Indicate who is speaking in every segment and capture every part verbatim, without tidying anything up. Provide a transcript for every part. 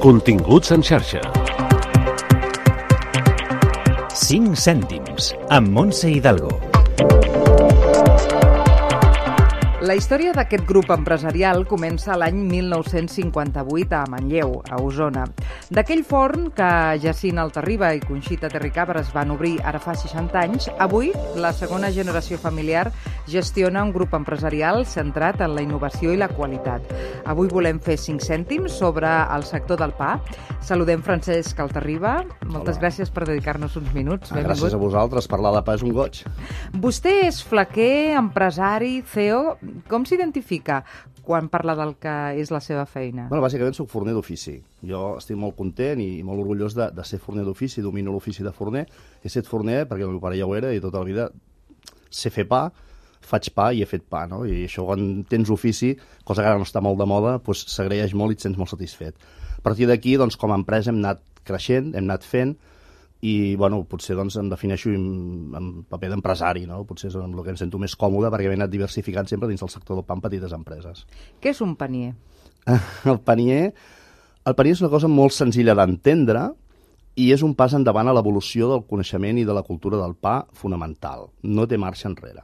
Speaker 1: Continguts en xarxa.
Speaker 2: cinc cèntims, amb Montse Hidalgo.
Speaker 3: La història d'aquest grup empresarial comença l'any mil nou-cents cinquanta-vuit a Manlleu, a Osona. D'aquell forn que Jacint Altarriba i Conxita Terricabres van obrir ara fa seixanta anys, avui la segona generació familiar gestiona un grup empresarial centrat en la innovació i la qualitat. Avui volem fer cinc cèntims sobre el sector del pa. Saludem Francesc Altarriba. Moltes
Speaker 4: Hola.
Speaker 3: Gràcies per dedicar-nos uns minuts.
Speaker 4: Ah, gràcies a vosaltres. Parlar de pa és un goig.
Speaker 3: Vostè és flequer, empresari, C E O. Com s'identifica quan parla del que és la seva feina?
Speaker 4: Bueno, bàsicament soc forner d'ofici. Jo estic molt content i molt orgullós de, de ser forner d'ofici, domino l'ofici de forner. He estat forner perquè el meu pare ja ho era i tota la vida sé fer pa, faig pa i he fet pa, no? I això quan tens ofici, cosa que ara no està molt de moda, doncs s'agraeix molt i et sents molt satisfet. A partir d'aquí, doncs, com a empresa hem anat creixent, hem anat fent i, bueno, potser doncs, em defineixo en, en paper d'empresari, no? Potser és amb el que em sento més còmode perquè m'he anat diversificant sempre dins del sector del pa en petites empreses.
Speaker 3: Què és un panier?
Speaker 4: El panier, el panier és una cosa molt senzilla d'entendre i és un pas endavant a l'evolució del coneixement i de la cultura del pa fonamental. No té marxa enrere.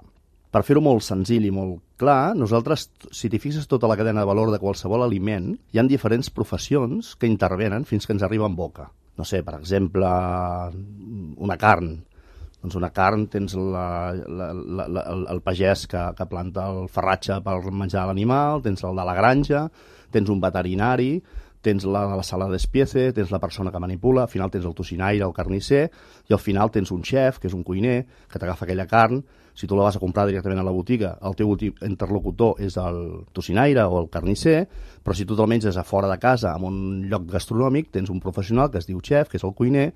Speaker 4: Per fer-ho molt senzill i molt clar, nosaltres, si t'hi fixes tota la cadena de valor de qualsevol aliment, hi ha diferents professions que intervenen fins que ens arriba en boca. No sé, per exemple, una carn. Doncs una carn tens la, la, la, la, el, el pagès que, que planta el farratge per menjar l'animal, tens el de la granja, tens un veterinari, tens la, la sala d'espiece, tens la persona que manipula, al final tens el tocinaire, el carnisser, i al final tens un xef, que és un cuiner, que t'agafa aquella carn. Si tu la vas a comprar directament a la botiga, el teu interlocutor és el tocinaire o el carnisser, però si tu te'l menges a fora de casa, en un lloc gastronòmic, tens un professional que es diu xef, que és el cuiner,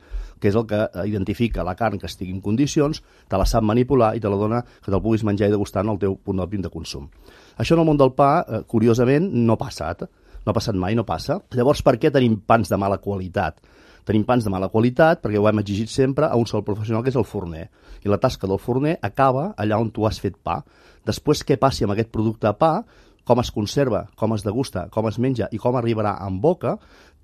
Speaker 4: que és el que identifica la carn que estigui en condicions, te la sap manipular i te la dona que te'l puguis menjar i degustar en el teu punt òptim de consum. Això en el món del pa, eh, curiosament, no ha passat. No ha passat mai, no passa. Llavors, per què tenim pans de mala qualitat? Tenim pans de mala qualitat perquè ho hem exigit sempre a un sol professional, que és el forner. I la tasca del forner acaba allà on tu has fet pa. Després, què passi amb aquest producte de pa, com es conserva, com es degusta, com es menja i com arribarà en boca,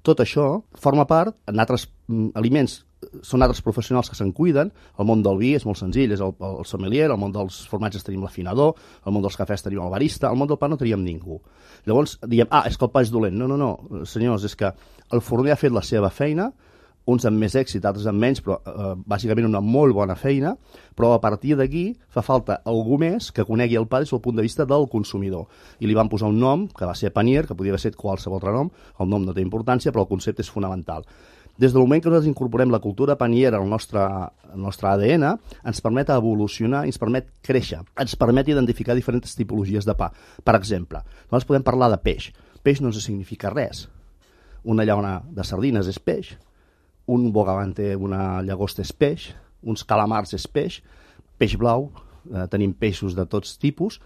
Speaker 4: tot això forma part, en altres mm, aliments, són altres professionals que se'n cuiden. El món del vi és molt senzill, és el, el sommelier, el món dels formatges tenim l'afinador, el món dels cafès tenim el barista, el món del pa no teníem ningú. Llavors diem, ah, és que el pa és dolent. No, no, no, senyors, és que el forner ha fet la seva feina, uns amb més èxit, altres amb menys, però eh, bàsicament una molt bona feina, però a partir d'aquí fa falta algú més que conegui el pa des del punt de vista del consumidor. I li van posar un nom, que va ser Panier, que podia haver estat qualsevol altre nom, el nom no té importància, però el concepte és fonamental. Des del moment que nosaltres incorporem la cultura paniera al nostre, al nostre A D N, ens permet evolucionar, ens permet créixer, ens permet identificar diferents tipologies de pa. Per exemple, nosaltres podem parlar de peix. Peix no ens significa res. Una llauna de sardines és peix, un bogavante, una llagosta és peix, uns calamars és peix, peix blau, eh, tenim peixos de tots tipus.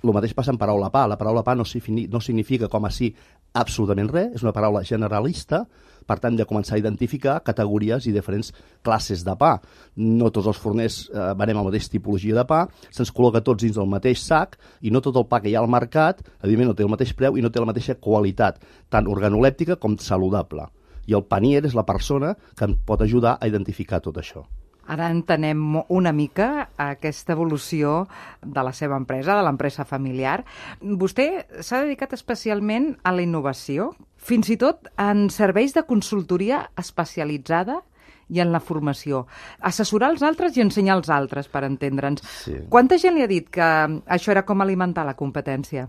Speaker 4: El mateix passa en paraula pa. La paraula pa no, no significa com a si absolutament res, és una paraula generalista, per tant, de començar a identificar categories i diferents classes de pa. No tots els forners eh, venem la mateixa tipologia de pa, se'ns col·loca tots dins del mateix sac i no tot el pa que hi ha al mercat, evidentment, no té el mateix preu i no té la mateixa qualitat, tant organolèptica com saludable. I el panier és la persona que ens pot ajudar a identificar tot això.
Speaker 3: Ara entenem una mica aquesta evolució de la seva empresa, de l'empresa familiar. Vostè s'ha dedicat especialment a la innovació, fins i tot en serveis de consultoria especialitzada i en la formació. Assessorar els altres i ensenyar als altres, per entendre'ns.
Speaker 4: Sí.
Speaker 3: Quanta gent li ha dit que això era com alimentar la competència?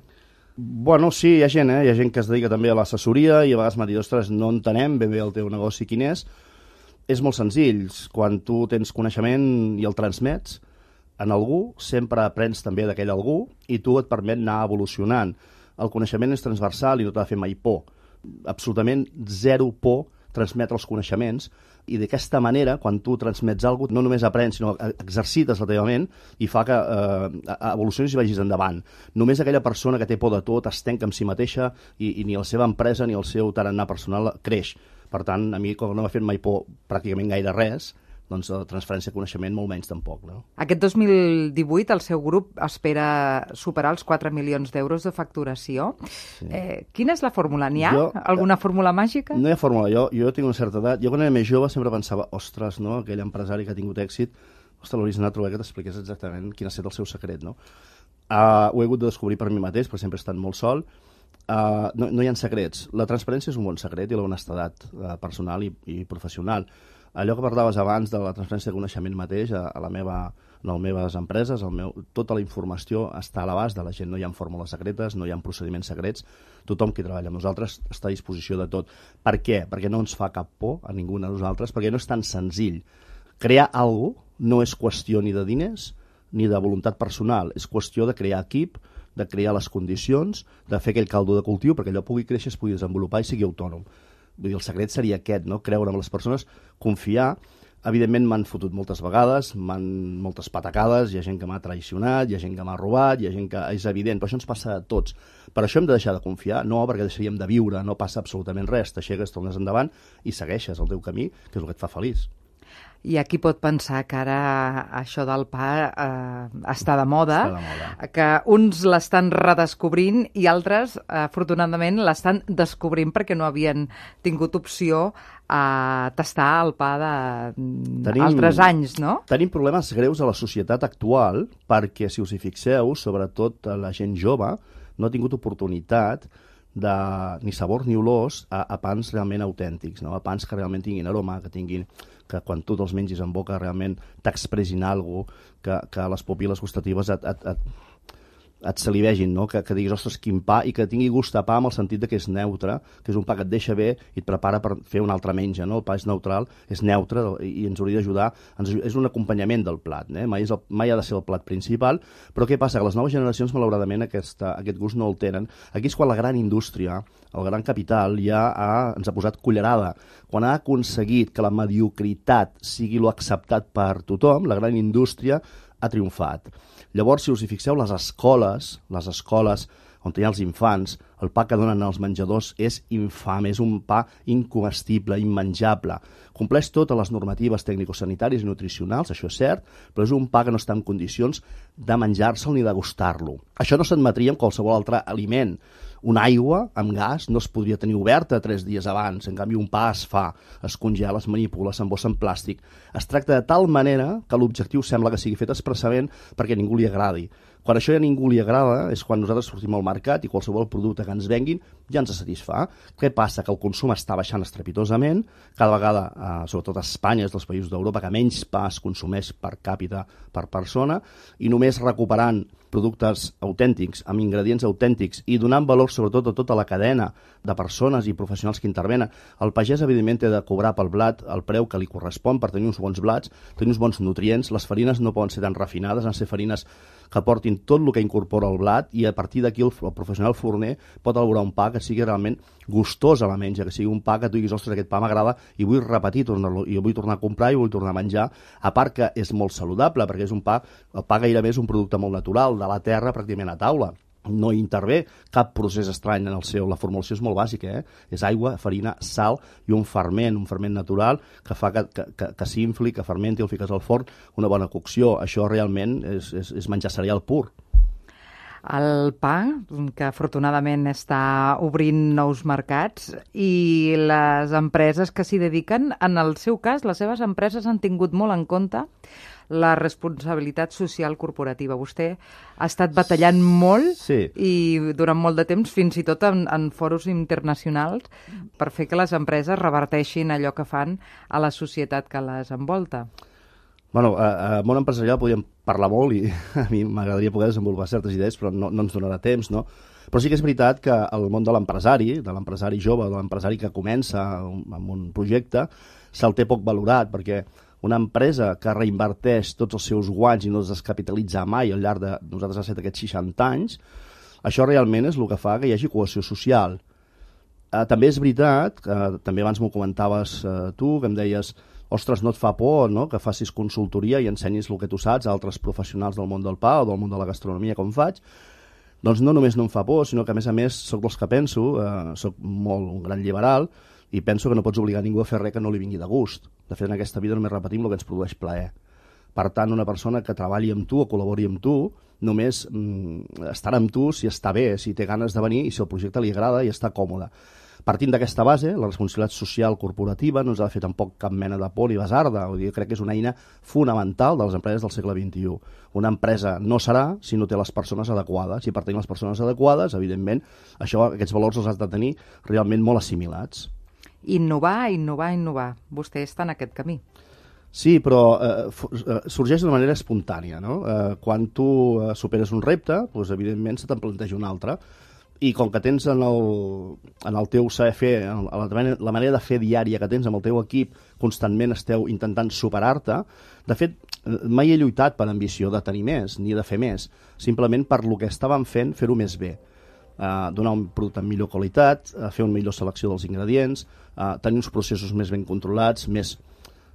Speaker 4: Bueno, sí, hi ha gent, eh? Hi ha gent que es dedica també a l'assessoria i a vegades m'ha dit, ostres, no entenem ben bé el teu negoci quin és. És molt senzill. Quan tu tens coneixement i el transmets en algú, sempre aprens també d'aquell algú i tu et permet anar evolucionant. El coneixement és transversal i no t'ha de fer mai por. Absolutament zero por transmetre els coneixements i d'aquesta manera, quan tu transmets alguna cosa, no només aprens, sinó exercites la teva ment i fa que eh, evolucionis i vagis endavant. Només aquella persona que té por de tot es tanca amb si mateixa i, i ni la seva empresa ni el seu tarannà personal creix. Per tant, a mi, com no m'ha fet mai por pràcticament gaire res, doncs la transferència de coneixement molt menys tampoc. No?
Speaker 3: Aquest dos mil divuit el seu grup espera superar els quatre milions d'euros de facturació. Sí. Eh, quina és la fórmula? N'hi ha? Jo, alguna fórmula màgica?
Speaker 4: No hi ha fórmula. Jo, jo tinc una certa edat. Jo quan era més jove sempre pensava, ostres, no? Aquell empresari que ha tingut èxit, ostres, l'hauries anat a trobar que t'expliqués exactament quin ha estat el seu secret, no? Uh, ho he hagut de descobrir per mi mateix, perquè sempre he estat molt sol. Uh, no, no hi ha secrets. La transparència és un bon secret i la honestedat uh, personal i, i professional. Allò que parlaves abans de la transferència de coneixement mateix a, a la meva, a les meves empreses, el meu, tota la informació està a l'abast de la gent. No hi ha fórmules secretes, no hi ha procediments secrets. Tothom qui treballa amb nosaltres està a disposició de tot. Per què? Perquè no ens fa cap por a ningú de nosaltres, perquè no és tan senzill. Crear alguna cosa no és qüestió ni de diners ni de voluntat personal, és qüestió de crear equip, de crear les condicions, de fer aquell caldo de cultiu perquè allò pugui créixer, es pugui desenvolupar i sigui autònom. Vull dir, el secret seria aquest, no? Creure en les persones, confiar. Evidentment m'han fotut moltes vegades, m'han moltes patacades, hi ha gent que m'ha traicionat, hi ha gent que m'ha robat, hi ha gent que és evident, però això ens passa a tots. Per això hem de deixar de confiar, no perquè deixaríem de viure, no passa absolutament res, t'aixeques, tornes endavant i segueixes el teu camí, que és el que et fa feliç.
Speaker 3: I aquí pot pensar que ara això del pa eh, està de moda,
Speaker 4: està de moda,
Speaker 3: que uns l'estan redescobrint i altres, eh, afortunadament, l'estan descobrint perquè no havien tingut opció a tastar el pa d'altres anys, no?
Speaker 4: Tenim problemes greus a la societat actual perquè, si us hi fixeu, sobretot la gent jove, no ha tingut oportunitat de ni sabors ni olors a, a pans realment autèntics, no? A pans que realment tinguin aroma, que tinguin que quan tu te'ls mengis en boca realment t'expressin alguna cosa, que, que les pupil·les gustatives et, et, et, et salivegin, no? que, que diguis, ostres, quin pa, i que tingui gust a pa amb el sentit de que és neutre, que és un pa que et deixa bé i et prepara per fer un altre menja. No? El pa és neutral, és neutre i, i ens hauria d'ajudar, és un acompanyament del plat, eh? mai, és el, mai ha de ser el plat principal, però què passa? Que les noves generacions, malauradament, aquesta, aquest gust no el tenen. Aquí és quan la gran indústria, el gran capital, ja ha, ens ha posat cullerada. Quan ha aconseguit que la mediocritat sigui lo acceptat per tothom, la gran indústria ha triomfat. Llavors, si us hi fixeu, les escoles, les escoles on hi ha els infants, el pa que donen als menjadors és infame, és un pa incomestible, immenjable. Compleix totes les normatives tècnico-sanitàries i nutricionals, això és cert, però és un pa que no està en condicions de menjar-se'l ni de gustar-lo. Això no s'admetria amb qualsevol altre aliment. Una aigua amb gas no es podria tenir oberta tres dies abans. En canvi, un pa es fa, es congela, es manipula, s'embossa en plàstic. Es tracta de tal manera que l'objectiu sembla que sigui fet expressament perquè a ningú li agradi. Quan això a ningú li agrada és quan nosaltres sortim al mercat i qualsevol producte que ens venguin ja ens satisfà. Què passa? Que el consum està baixant estrepitosament. Cada vegada, eh, sobretot a Espanya, és dels països d'Europa que menys pa es consumeix per càpita per persona, i només recuperant productes autèntics, amb ingredients autèntics i donant valor sobretot a tota la cadena de persones i professionals que intervenen. El pagès, evidentment, té de cobrar pel blat el preu que li correspon per tenir uns bons blats, tenir uns bons nutrients. Les farines no poden ser tan refinades, han de ser farines que portin tot el que incorpora el blat, i a partir d'aquí el, el professional forner pot elaborar un pa que sigui realment gustós a la menja, que sigui un pa que tu diguis, ostres, aquest pa m'agrada i vull repetir, tornar-lo, i vull tornar a comprar i vull tornar a menjar, a part que és molt saludable, perquè és un pa, el pa gairebé és un producte molt natural, de la terra pràcticament a taula. No hi intervé cap procés estrany en el seu. La formulació és molt bàsica, eh? És aigua, farina, sal i un ferment, un ferment natural que fa que, que, que, que s'infli, que fermenti, el fiques al forn, una bona cocció. Això realment és, és, és menjar cereal pur.
Speaker 3: El pa, que afortunadament està obrint nous mercats, i les empreses que s'hi dediquen, en el seu cas, les seves empreses han tingut molt en compte la responsabilitat social corporativa. Vostè ha estat batallant molt, sí, i durant molt de temps, fins i tot en, en foros internacionals, per fer que les empreses reverteixin allò que fan a la societat que les envolta.
Speaker 4: Bueno, a, a món empresarial podríem parlar molt i a mi m'agradaria poder desenvolupar certes idees, però no, no ens donarà temps, no? Però sí que és veritat que el món de l'empresari, de l'empresari jove, de l'empresari que comença amb un projecte, se'l té poc valorat, perquè una empresa que reinverteix tots els seus guanys i no es descapitalitza mai al llarg de, nosaltres ha estat aquests seixanta anys, això realment és el que fa que hi hagi cohesió social. Eh, també és veritat, que també abans m'ho comentaves eh, tu, que em deies, ostres, no et fa por, no?, que facis consultoria i ensenyis el que tu saps a altres professionals del món del pa o del món de la gastronomia, com faig. Doncs no només no em fa por, sinó que a més a més soc dels que penso, eh, soc molt un gran liberal, i penso que no pots obligar ningú a fer res que no li vingui de gust. De fet, en aquesta vida només repetim el que ens produeix plaer. Per tant, una persona que treballi amb tu o col·labori amb tu només mm, estarà amb tu si està bé, si té ganes de venir i si el projecte li agrada i està còmode. Partint d'aquesta base, la responsabilitat social corporativa no ens ha de fer tampoc cap mena de por ni basarda. Vull dir, crec que és una eina fonamental de les empreses del segle vint-i-u. Una empresa no serà si no té les persones adequades. I per tenir les persones adequades, evidentment, això, aquests valors els has de tenir realment molt assimilats.
Speaker 3: Innovar, innovar, innovar. Vostè està en aquest camí.
Speaker 4: Sí, però eh, sorgeix d'una manera espontània, no? Eh, quan tu eh, superes un repte, doncs, evidentment se te'n planteja un altre. I com que tens en el, en el teu saber fer, la, la manera de fer diària que tens amb el teu equip, constantment esteu intentant superar-te, de fet, mai he lluitat per ambició de tenir més, ni de fer més, simplement per lo que estàvem fent, fer-ho més bé. Uh, donar un producte amb millor qualitat, uh, fer una millor selecció dels ingredients, uh, tenir uns processos més ben controlats, més,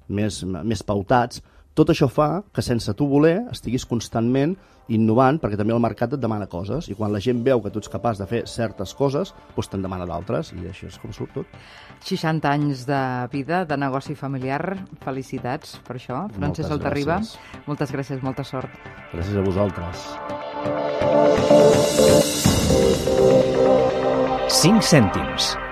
Speaker 4: més, més pautats. Tot això fa que sense tu voler estiguis constantment innovant, perquè també el mercat et demana coses, i quan la gent veu que tu ets capaç de fer certes coses, doncs te'n demana d'altres, i això és com surt tot.
Speaker 3: seixanta anys de vida, de negoci familiar. Felicitats per això, Francesc Altarriba. Moltes gràcies, molta sort.
Speaker 4: Gràcies a vosaltres.
Speaker 2: cinc cèntims.